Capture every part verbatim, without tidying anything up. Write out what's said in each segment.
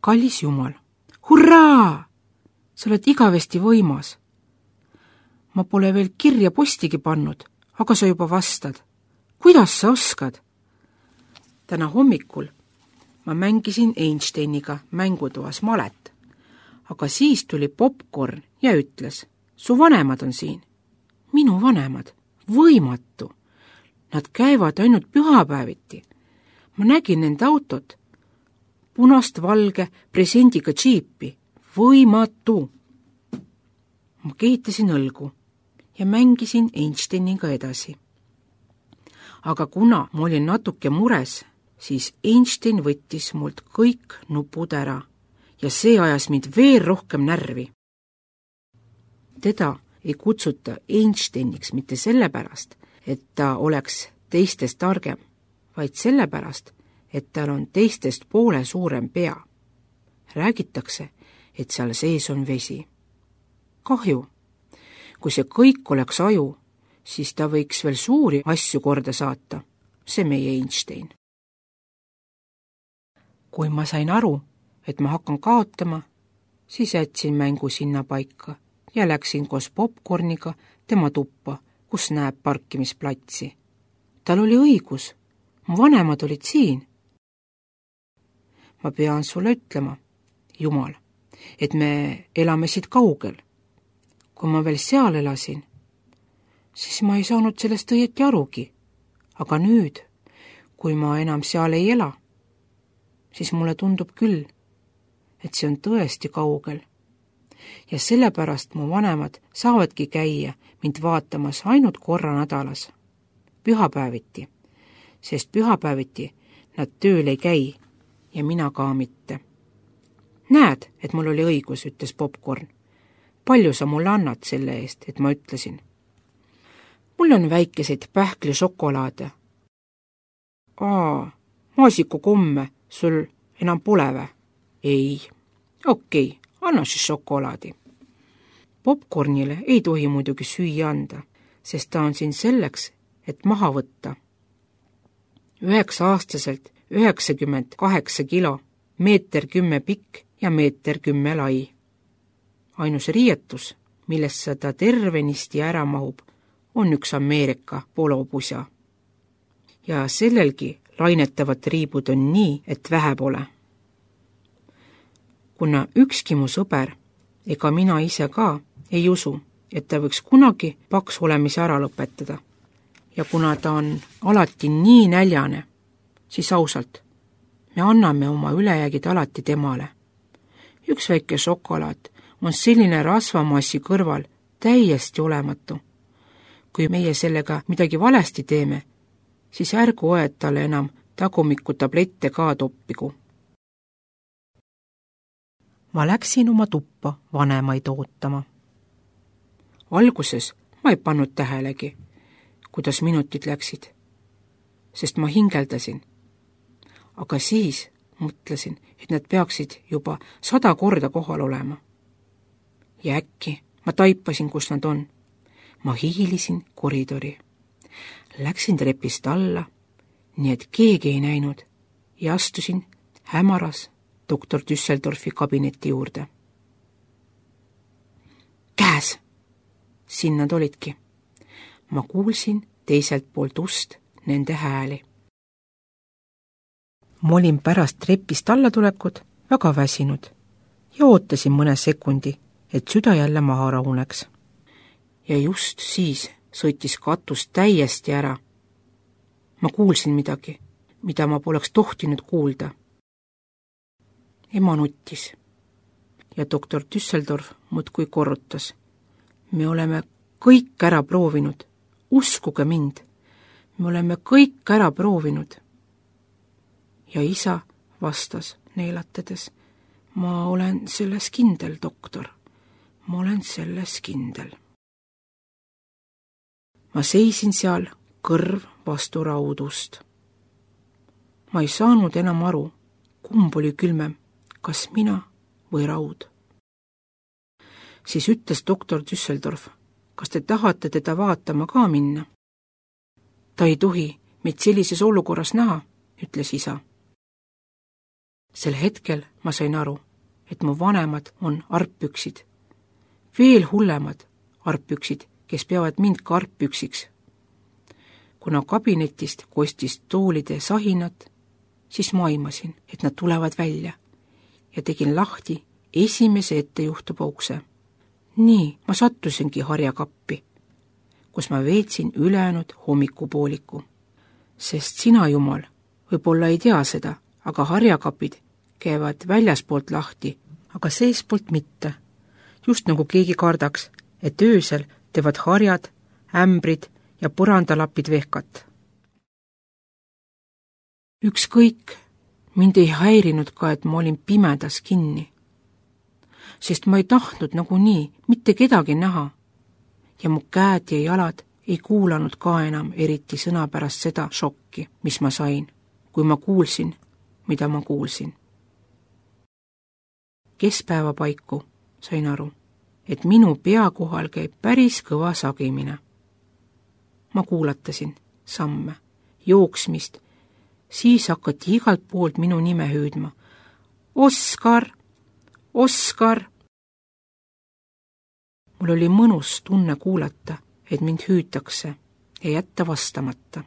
kallis Jumal, hurraa! Sa oled igavesti võimas. Ma pole veel kirja postigi pannud, aga sa juba vastad. Kuidas sa oskad? Täna hommikul ma mängisin Einsteiniga mängutoas malet, aga siis tuli popcorn ja ütles, su vanemad on siin. Minu vanemad? Võimatu. Nad käivad ainult pühapäeviti. Ma nägin nende autot, punast valge presendiga džiipi. Võimatu. Ma kehitasin õlgu ja mängisin Einsteiniga edasi. Aga kuna ma olin natuke mures, siis Einstein võttis mult kõik nupud ära ja see ajas mind veel rohkem närvi. Teda ei kutsuta Einsteiniks mitte sellepärast, et ta oleks teistest targem, vaid sellepärast, et tal on teistest poole suurem pea. Räägitakse, et seal sees on vesi. Kahju. Kui see kõik oleks aju, siis ta võiks veel suuri asju korda saata. See meie Einstein. Kui ma sain aru, et ma hakkan kaotama, siis jätsin mängu sinna paika ja läksin koos popcorniga tema tuppa, kus näeb parkimisplatsi. Tal oli õigus. Mu vanemad olid siin. Ma pean sulle ütlema, Jumal, et me elame siit kaugel. Kui ma veel seal elasin, siis ma ei saanud sellest õieti arugi. Aga nüüd, kui ma enam seal ei ela, siis mulle tundub küll, et see on tõesti kaugel. Ja sellepärast mu vanemad saavadki käia mind vaatamas ainult korra nädalas, pühapäeviti, sest pühapäeviti nad tööl ei käi ja mina ka mitte. Näed, et mul oli õigus, ütles popcorn. Palju sa mulle annad selle eest, et ma ütlesin? Mul on väikeseid pähkli šokolaade. Aa, maasiku komme sul enam pole vä? Ei. Okei, anna siis šokolaadi. Popcornile ei tohi muidugi süüa anda, sest ta on siin selleks, et maha võtta. Üheksa aastaselt üheksakümmend kaheksa kilo, meeter kümme pikk ja meeter kümme lai. Ainus riietus, millest ta tervenisti ära mahub, on üks Ameerika polopusa. Ja sellelgi lainetavad riibud on nii, et vähe pole. Kuna ükski mu sõber ega mina ise ka ei usu, et ta võiks kunagi paks olemise ära lõpetada. Ja kuna ta on alati nii näljane, siis ausalt, me anname oma ülejäägid alati temale. Üks väike šokolaad on selline rasvamassi kõrval täiesti olematu. Kui meie sellega midagi valesti teeme, siis ärgu oed talle enam tagumikku tablette ka toppigu. Ma läksin oma tuppa vanemaid ootama. Alguses ma ei pannud tähelegi, kuidas minutid läksid, sest ma hingeldasin. Aga siis mõtlesin, et nad peaksid juba sada korda kohal olema. Ja äkki ma taipasin, kus nad on. Ma hiilisin koridori. Läksin trepist alla, nii et keegi ei näinud, ja astusin hämaras doktor Düsseldorfi kabineti juurde. Käes! Siin nad olidki. Ma kuulsin teiselt poolt ust nende hääli. Ma olin pärast trepist allatulekut väga väsinud ja ootasin mõne sekundi, et süda jälle maha rahuneks. Ja just siis sõitis katus täiesti ära. Ma kuulsin midagi, mida ma poleks tohtinud kuulda. Ema nuttis ja doktor Düsseldorf muudkui korrutas. Me oleme kõik ära proovinud. Uskuge mind. Me oleme kõik ära proovinud. Ja isa vastas neelatades. Ma olen selles kindel, doktor. Ma olen selles kindel. Ma seisin seal kõrv vastu raudust. Ma ei saanud enam aru, kumb oli külmem, kas mina või raud. Siis ütles doktor Düsseldorf, kas te tahate teda vaatama ka minna? Ta ei tohi meid sellises olukorras näha, ütles isa. sel hetkel ma sain aru, et mu vanemad on arppüksid. Veel hullemad arppüksid, kes peavad mind ka arppüksiks. Kuna kabinetist kostis toolide sahinat, siis ma aimasin, et nad tulevad välja ja tegin lahti esimese ettejuhtuva ukse. Nii ma sattusingi harjakappi, kus ma veetsin ülejäänud hommikupooliku. Sest sina, Jumal, võib-olla ei tea seda, aga harjakapid käivad väljaspoolt lahti, aga seespoolt mitte. Just nagu keegi kardaks, et öösel teevad harjad, ämbrid ja põrandalapid vehkat. Ükskõik, mind ei häirinud ka, et ma olin pimedas kinni, sest ma ei tahtnud nagunii mitte kedagi näha ja mu käed ja jalad ei kuulanud ka enam eriti sõna pärast seda šokki, mis ma sain, kui ma kuulsin, mida ma kuulsin. Keskpäeva paiku sain aru, et minu pea kohal käib päris kõva sagimine. Ma kuulatasin samme, jooksmist, siis hakati igalt poolt minu nime hüüdma. Oskar! Oskar! Mul oli mõnus tunne kuulata, et mind hüütakse ja jätta vastamata.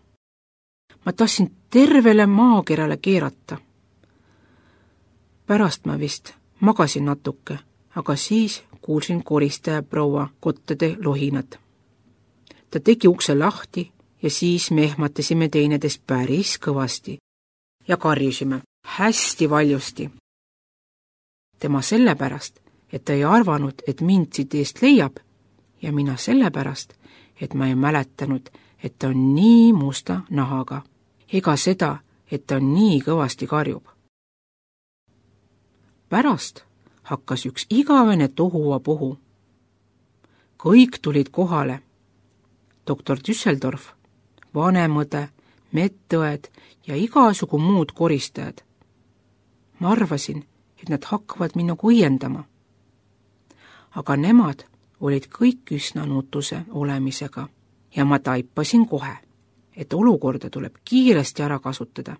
Ma tahtsin tervele maakerale keerata. Pärast ma vist magasin natuke, aga siis kuulsin koristaja proua kottade lohinad. Ta tegi ukse lahti ja siis me ehmatasime teinedes päris kõvasti ja karjusime hästi valjusti. Tema sellepärast, et ta ei arvanud, et mind siit eest leiab ja mina sellepärast, et ma ei mäletanud, et ta on nii musta nahaga, ega seda, et ta nii kõvasti karjub. Pärast hakkas üks igavene tohuva puhu. Kõik tulid kohale. Doktor Düsseldorf, vanemõde, medõed ja igasugu muud koristajad. Ma arvasin, et nad hakkavad minuga õiendama. Aga nemad olid kõik üsna nutuse olemisega ja ma taipasin kohe, et olukorda tuleb kiiresti ära kasutada.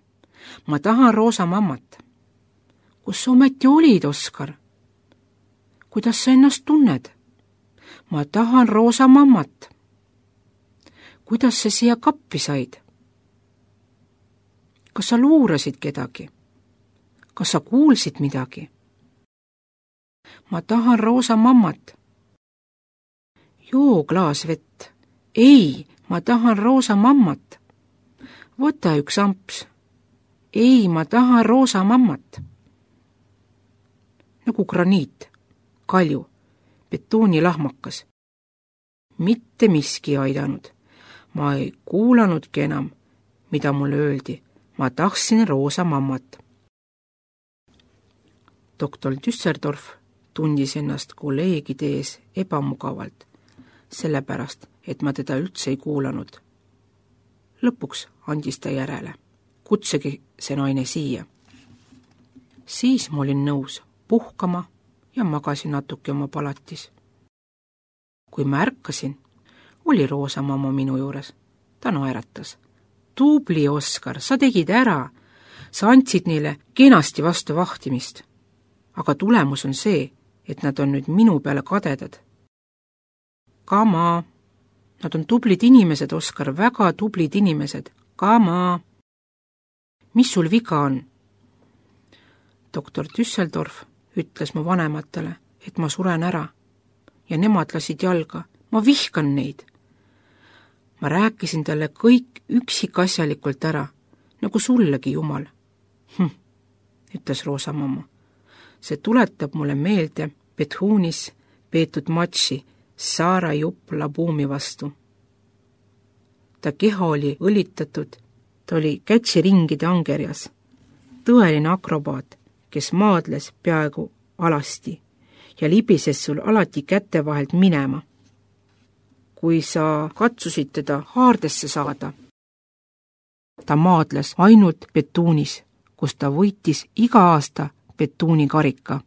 Ma tahan roosa mammat. Kus sa ometi olid, Oskar? Kuidas sa ennast tunned? Ma tahan roosa mammat. Kuidas sa siia kappi said? Kas sa luurasid kedagi? Kas sa kuulsid midagi? Ma tahan roosa mammat. Joo klaas vett. Ei, ma tahan roosa mammat. Võta üks amps. Ei, ma tahan roosa mammat. Nagu graniit, kalju, betoonilahmakas. Mitte miski aidanud. Ma ei kuulanudki enam, mida mulle öeldi. Ma tahtsin roosa mammat. Doktor Düsseldorf tundis ennast kolleegide ees ebamugavalt, sellepärast, et ma teda üldse ei kuulanud. Lõpuks andis ta järele. Kutsegi see naine siia. Siis ma olin nõus puhkama ja magasin natuke oma palatis. Kui ma ärkasin, oli roosa mamma minu juures. Ta naeratas. Tubli, Oskar, sa tegid ära. Sa andsid neile kenasti vastu vahtimist. Aga tulemus on see, et nad on nüüd minu peale kadedad. Kama. Nad on tublid inimesed, Oskar, väga tublid inimesed. Kama. Mis sul viga on? Doktor Düsseldorf ütles mu vanematele, et ma suren ära ja nemad lasid jalga. Ma vihkan neid. Ma rääkisin talle kõik üksikasjalikult ära, nagu sullegi, Jumal. Hm, ütles roosa mamma. See tuletab mulle meelde Bethunis peetud matši Saara Jupp Labuumi vastu. Ta keha oli õlitatud, ta oli kätsiringide angerjas. Tõeline akrobaat, kes maadles peaaegu alasti ja libises sul alati kätte vahelt minema. Kui sa katsusid teda haardesse saada, ta maadles ainult Bethunis, kus ta võitis iga aasta Bethuuni karika.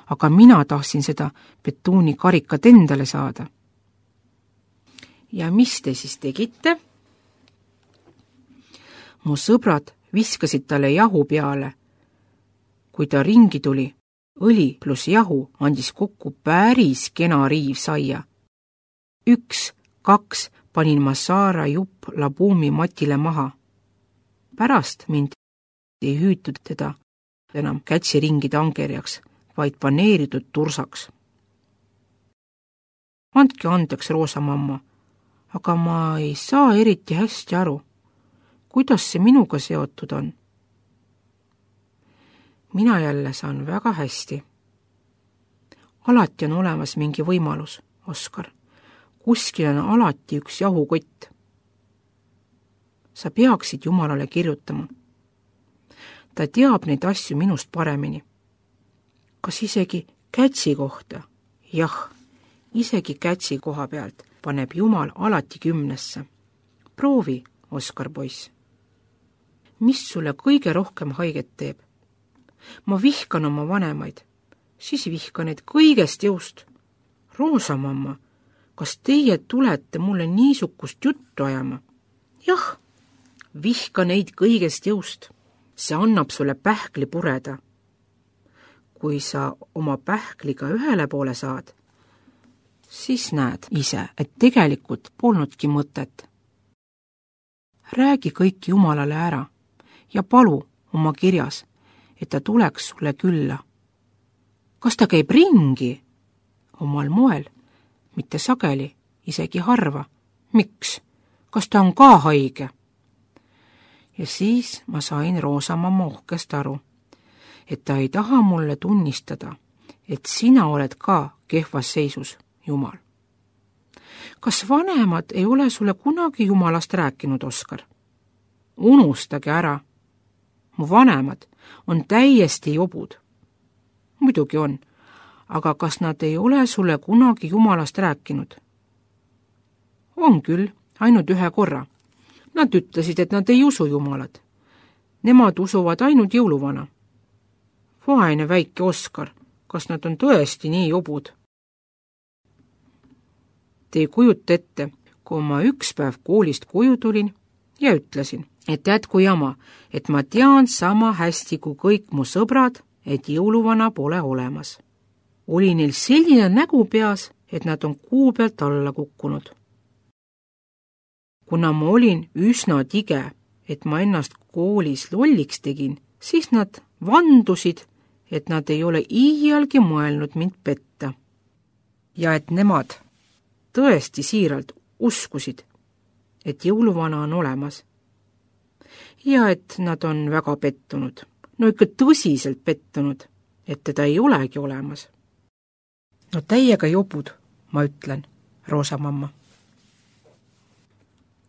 Aga mina tahtsin seda Bethuuni karikat endale saada. Ja mis te siis tegite? Mu sõbrad viskasid talle jahu peale, kui ta ringi tuli, õli pluss jahu andis kokku päris kena riiv saia. Üks, kaks panin ma Saara jupp labuumi matile maha. Pärast mind ei hüütud teda enam kätsiringide angerjaks, vaid paneeritud tursaks. Andke andeks, Roosa mamma, aga ma ei saa eriti hästi aru, kuidas see minuga seotud on. Mina jälle saan väga hästi. Alati on olemas mingi võimalus, Oskar. Kuskil on alati üks jahukott. Sa peaksid Jumalale kirjutama. Ta teab neid asju minust paremini. Kas isegi kätsi kohta? Jah, isegi kätsi koha pealt paneb Jumal alati kümnesse. Proovi, Oskar poiss. Mis sulle kõige rohkem haiget teeb? Ma vihkan oma vanemaid, siis vihkan neid kõigest jõust. Roosa mamma, kas teie tulete mulle niisugust juttu ajama? Jah, vihka neid kõigest jõust. See annab sulle pähkli pureda. Kui sa oma pähkliga ühele poole saad, siis näed ise, et tegelikult polnudki mõtet. Räägi kõik Jumalale ära ja palu oma kirjas, et ta tuleks sulle külla. Kas ta käib ringi? Omal moel, mitte sageli, isegi harva. Miks? Kas ta on ka haige? Ja siis ma sain Roosa mamma ohkest aru, et ta ei taha mulle tunnistada, et sina oled ka kehvas seisus, Jumal. Kas vanemad ei ole sulle kunagi Jumalast rääkinud, Oskar? Unustage ära. Mu vanemad on täiesti jobud. Muidugi on, aga kas nad ei ole sulle kunagi Jumalast rääkinud? On küll, ainult ühe korra. Nad ütlesid, et nad ei usu Jumalat. Nemad usuvad ainult jõuluvana. Vaene väike Oskar, kas nad on tõesti nii jobud? Te ei kujuta ette, kui ma üks päev koolist koju tulin ja ütlesin, et jätku jama, et ma tean sama hästi kui kõik mu sõbrad, et jõuluvana pole olemas. Oli neil selline nägu peas, et nad on kuu pealt alla kukkunud. Kuna ma olin üsna tige, et ma ennast koolis lolliks tegin, siis nad vandusid, et nad ei ole iialgi mõelnud mind petta. Ja et nemad tõesti siiralt uskusid, et jõuluvana on olemas. Ja et nad on väga pettunud, no ikka tõsiselt pettunud, et teda ei olegi olemas. No täiega jobud, ma ütlen, Roosa mamma.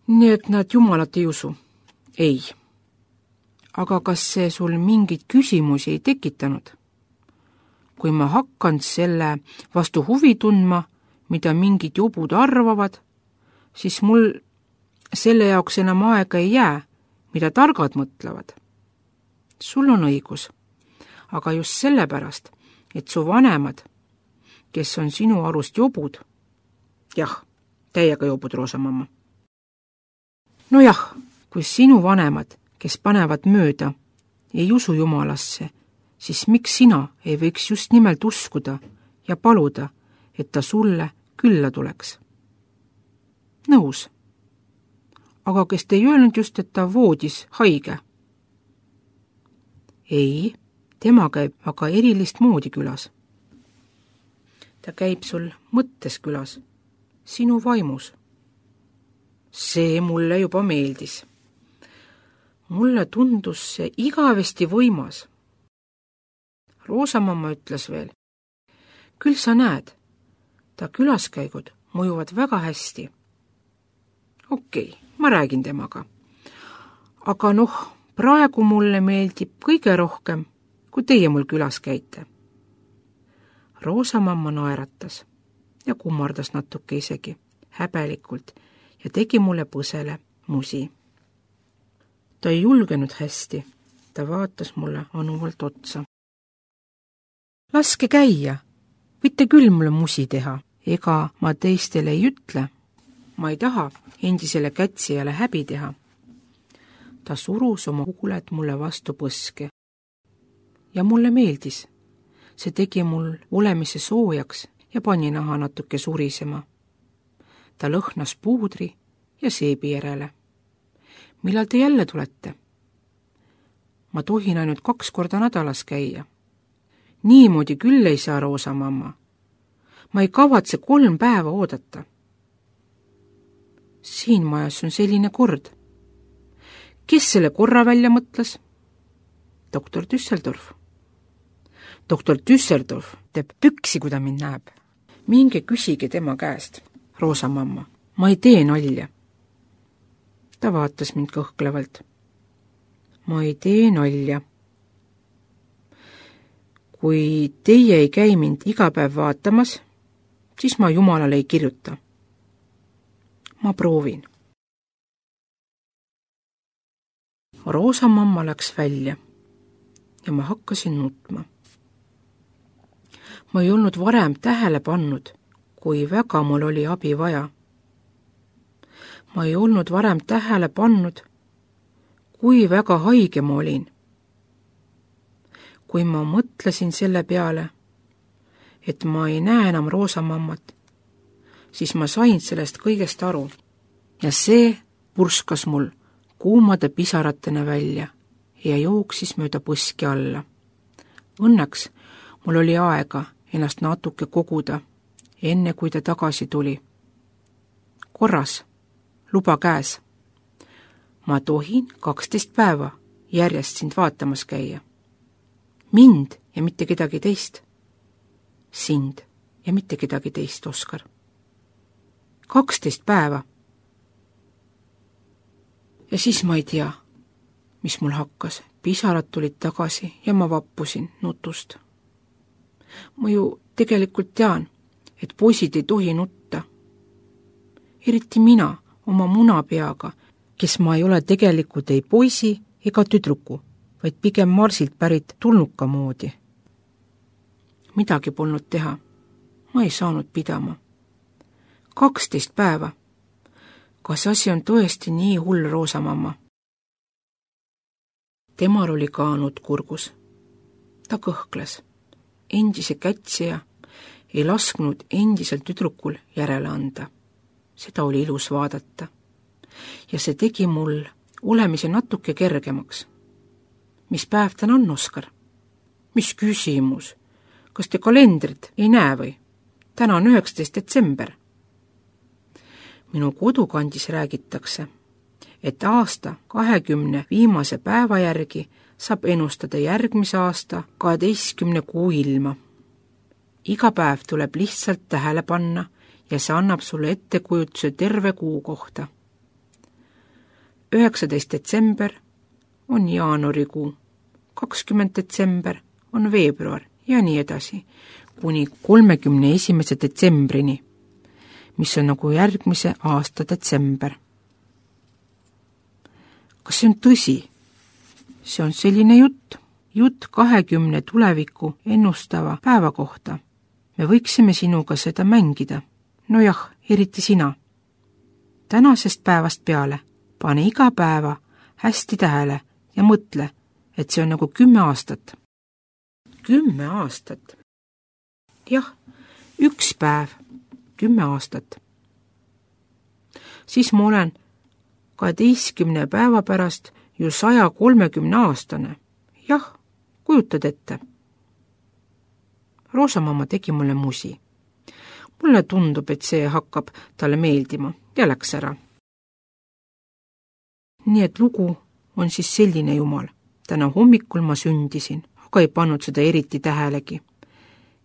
Nii et nad Jumalat ei usu? Ei. Aga kas see sul mingeid küsimusi ei tekitanud? Kui ma hakkan selle vastu huvi tundma, mida mingid jobud arvavad, siis mul selle jaoks enam aega ei jää, mida targad mõtlevad. Sul on õigus, aga just sellepärast, et su vanemad, kes on sinu arust jobud, jah, täiega jobud, Roosa mamma. No jah, kui sinu vanemad, kes panevad mööda, ei usu Jumalasse, siis miks sina ei võiks just nimelt uskuda ja paluda, et ta sulle külla tuleks? Nõus. Aga kes te ei öelnud just, et ta voodis haige? Ei, tema käib aga erilist moodi külas. Ta käib sul mõttes külas, sinu vaimus. See mulle juba meeldis. Mulle tundus see igavesti võimas. Roosa mamma ütles veel, küll sa näed, ta külaskäigud mõjuvad väga hästi. Okei, ma räägin temaga. Aga noh, praegu mulle meeldib kõige rohkem, kui teie mul külas käite. Roosa mamma naeratas ja kummardas natuke isegi, häbelikult, ja tegi mulle põsele musi. Ta ei julgenud hästi, ta vaatas mulle anuvalt otsa. Laske käia, võite küll mulle musi teha, ega ma teistele ei ütle. Ma ei taha endisele kätsijale häbi teha. Ta surus oma huuled mulle vastu põske ja mulle meeldis. See tegi mul olemise soojaks ja pani naha natuke surisema. Ta lõhnas puudri ja seebi järele. Millal te jälle tulete? Ma tohin ainult kaks korda nädalas käia. Niimoodi küll ei saa, Roosa mamma. Ma ei kavatse kolm päeva oodata. Siin majas on selline kord. Kes selle korra välja mõtles? Doktor Düsseldorf. Doktor Düsseldorf teeb püksi, kui ta mind näeb. Minge küsige tema käest, Roosa mamma. Ma ei tee nalja. Ta vaatas mind kõhklevalt. Ma ei tee nalja. Kui teie ei käi mind iga päev vaatamas, siis ma Jumalale ei kirjuta. Ma proovin. Roosa mamma läks välja ja ma hakkasin nutma. Ma ei olnud varem tähele pannud, kui väga mul oli abi vaja. Ma ei olnud varem tähele pannud, kui väga haige ma olin. Kui ma mõtlesin selle peale, et ma ei näe enam Roosa mammat, siis ma sain sellest kõigest aru ja see purskas mul kuumade pisaratena välja ja jooksis mööda põski alla. Õnneks mul oli aega ennast natuke koguda, enne kui ta tagasi tuli. Korras, luba käes. Ma tohin kaksteist päeva järjest sind vaatamas käia. Mind ja mitte kedagi teist. Sind ja mitte kedagi teist, Oskar. kaksteist päeva. Ja siis ma ei tea, mis mul hakkas. Pisarad tulid tagasi ja ma vappusin nutust. Ma ju tegelikult tean, et poisid ei tohi nutta. Eriti mina oma munapeaga, kes ma ei ole tegelikult ei poisi ega tüdruku, vaid pigem Marsilt pärit tulnuka moodi. Midagi polnud teha. Ma ei saanud pidama. kaksteist päeva. Kas asi on tõesti nii hull, Roosa mamma? Temal oli ka nutt kurgus. Ta kõhkles. Endise kätsija ei lasknud endisel tüdrukul järele anda. Seda oli ilus vaadata. Ja see tegi mul olemise natuke kergemaks. Mis päev täna on, Oskar? Mis küsimus? Kas te kalendrit ei näe või? Täna on üheksateist detsember. Minu kodukandis räägitakse, et aasta kahekümne viimase päeva järgi saab ennustada järgmise aasta kaheteistkümne kuu ilma. Iga päev tuleb lihtsalt tähele panna ja see annab sulle ettekujutuse terve kuu kohta. üheksateist detsember on jaanuarikuu, kakskümmend detsember on veebruar ja nii edasi, kuni kolmekümne esimese detsembrini, mis on nagu järgmise aasta detsember. Kas see on tõsi? See on selline jutt, jutt kahekümne tuleviku ennustava päeva kohta. Me võiksime sinuga seda mängida. No jah, eriti sina. Tänasest päevast peale pane iga päeva hästi tähele ja mõtle, et see on nagu kümme aastat. Kümme aastat? Jah, üks päev, kümme aastat. Siis ma olen kaheteistkümne päeva pärast ju saja kolmekümne aastane. Jah, kujutad ette. Roosa mamma tegi mulle musi. Mulle tundub, et see hakkab talle meeldima ja läks ära. Nii et lugu on siis selline, Jumal. Täna hommikul ma sündisin, aga ei pannud seda eriti tähelegi.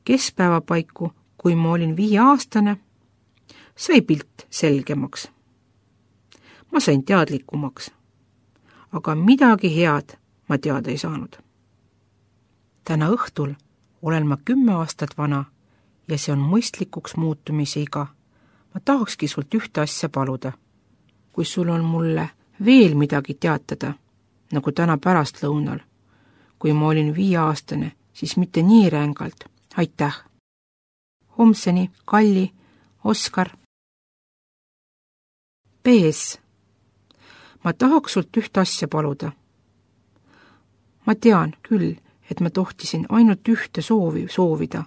Keskpäeva paiku, kui ma olin viieaastane, sai pilt selgemaks. Ma sain teadlikumaks, aga midagi head ma teada ei saanud. Täna õhtul olen ma kümme aastat vana ja see on mõistlikuks muutumise iga. Ma tahakski sult ühte asja paluda. Kui sul on mulle veel midagi teatada, nagu täna pärastlõunal, kui ma olin viieaastane, siis mitte nii rängalt. Aitäh! Homseni, Kalli, Oskar. P S. Ma tahaks sult ühte asja paluda. Ma tean küll, et ma tohtisin ainult ühte soovi soovida,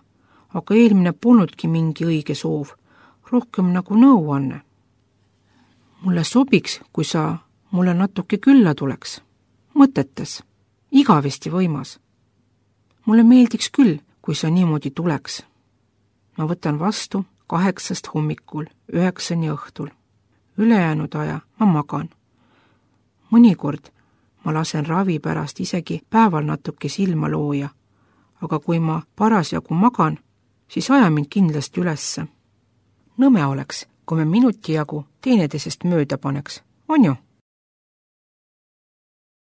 aga eelmine polnudki mingi õige soov, rohkem nagu nõuanne. Mulle sobiks, kui sa mulle natuke külla tuleks, mõtetes, igavesti võimas. Mulle meeldiks küll, kui sa niimoodi tuleks. Ma võtan vastu kaheksast hommikul, üheksani õhtul. Ülejäänud aja ma magan. Mõnikord ma lasen ravi pärast isegi päeval natuke silma looja, aga kui ma parasjagu magan, siis aja mind kindlasti ülesse. Nõme oleks, kui me minuti jagu teineteisest mööda paneks, on ju?